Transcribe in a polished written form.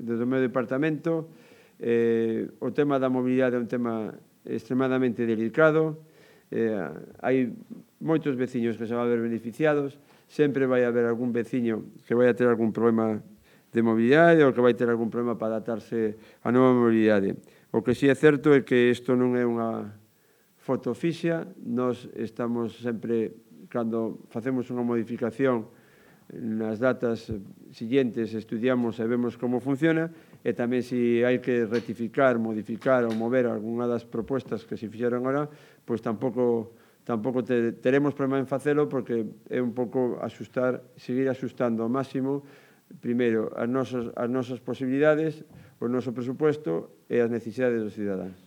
desde o meu departamento. O tema da mobilidade é un tema extremadamente delicado. Hai moitos veciños que se van a ver beneficiados. Sempre vai haber algún veciño que vai a ter algún problema de mobilidade ou que vai ter algún problema para adaptarse á nova mobilidade. O que sí é certo é que isto non é unha foto fixa. Nós estamos sempre, cando facemos unha modificación, nas datas siguientes estudiamos e vemos como funciona, e tamén se hai que rectificar, modificar ou mover algunha das propostas que se fixeron agora, pois tampouco teremos problema en facelo, porque é un pouco seguir axustando ao máximo, primeiro, as nosas posibilidades, o noso presupuesto e as necesidades dos cidadáns.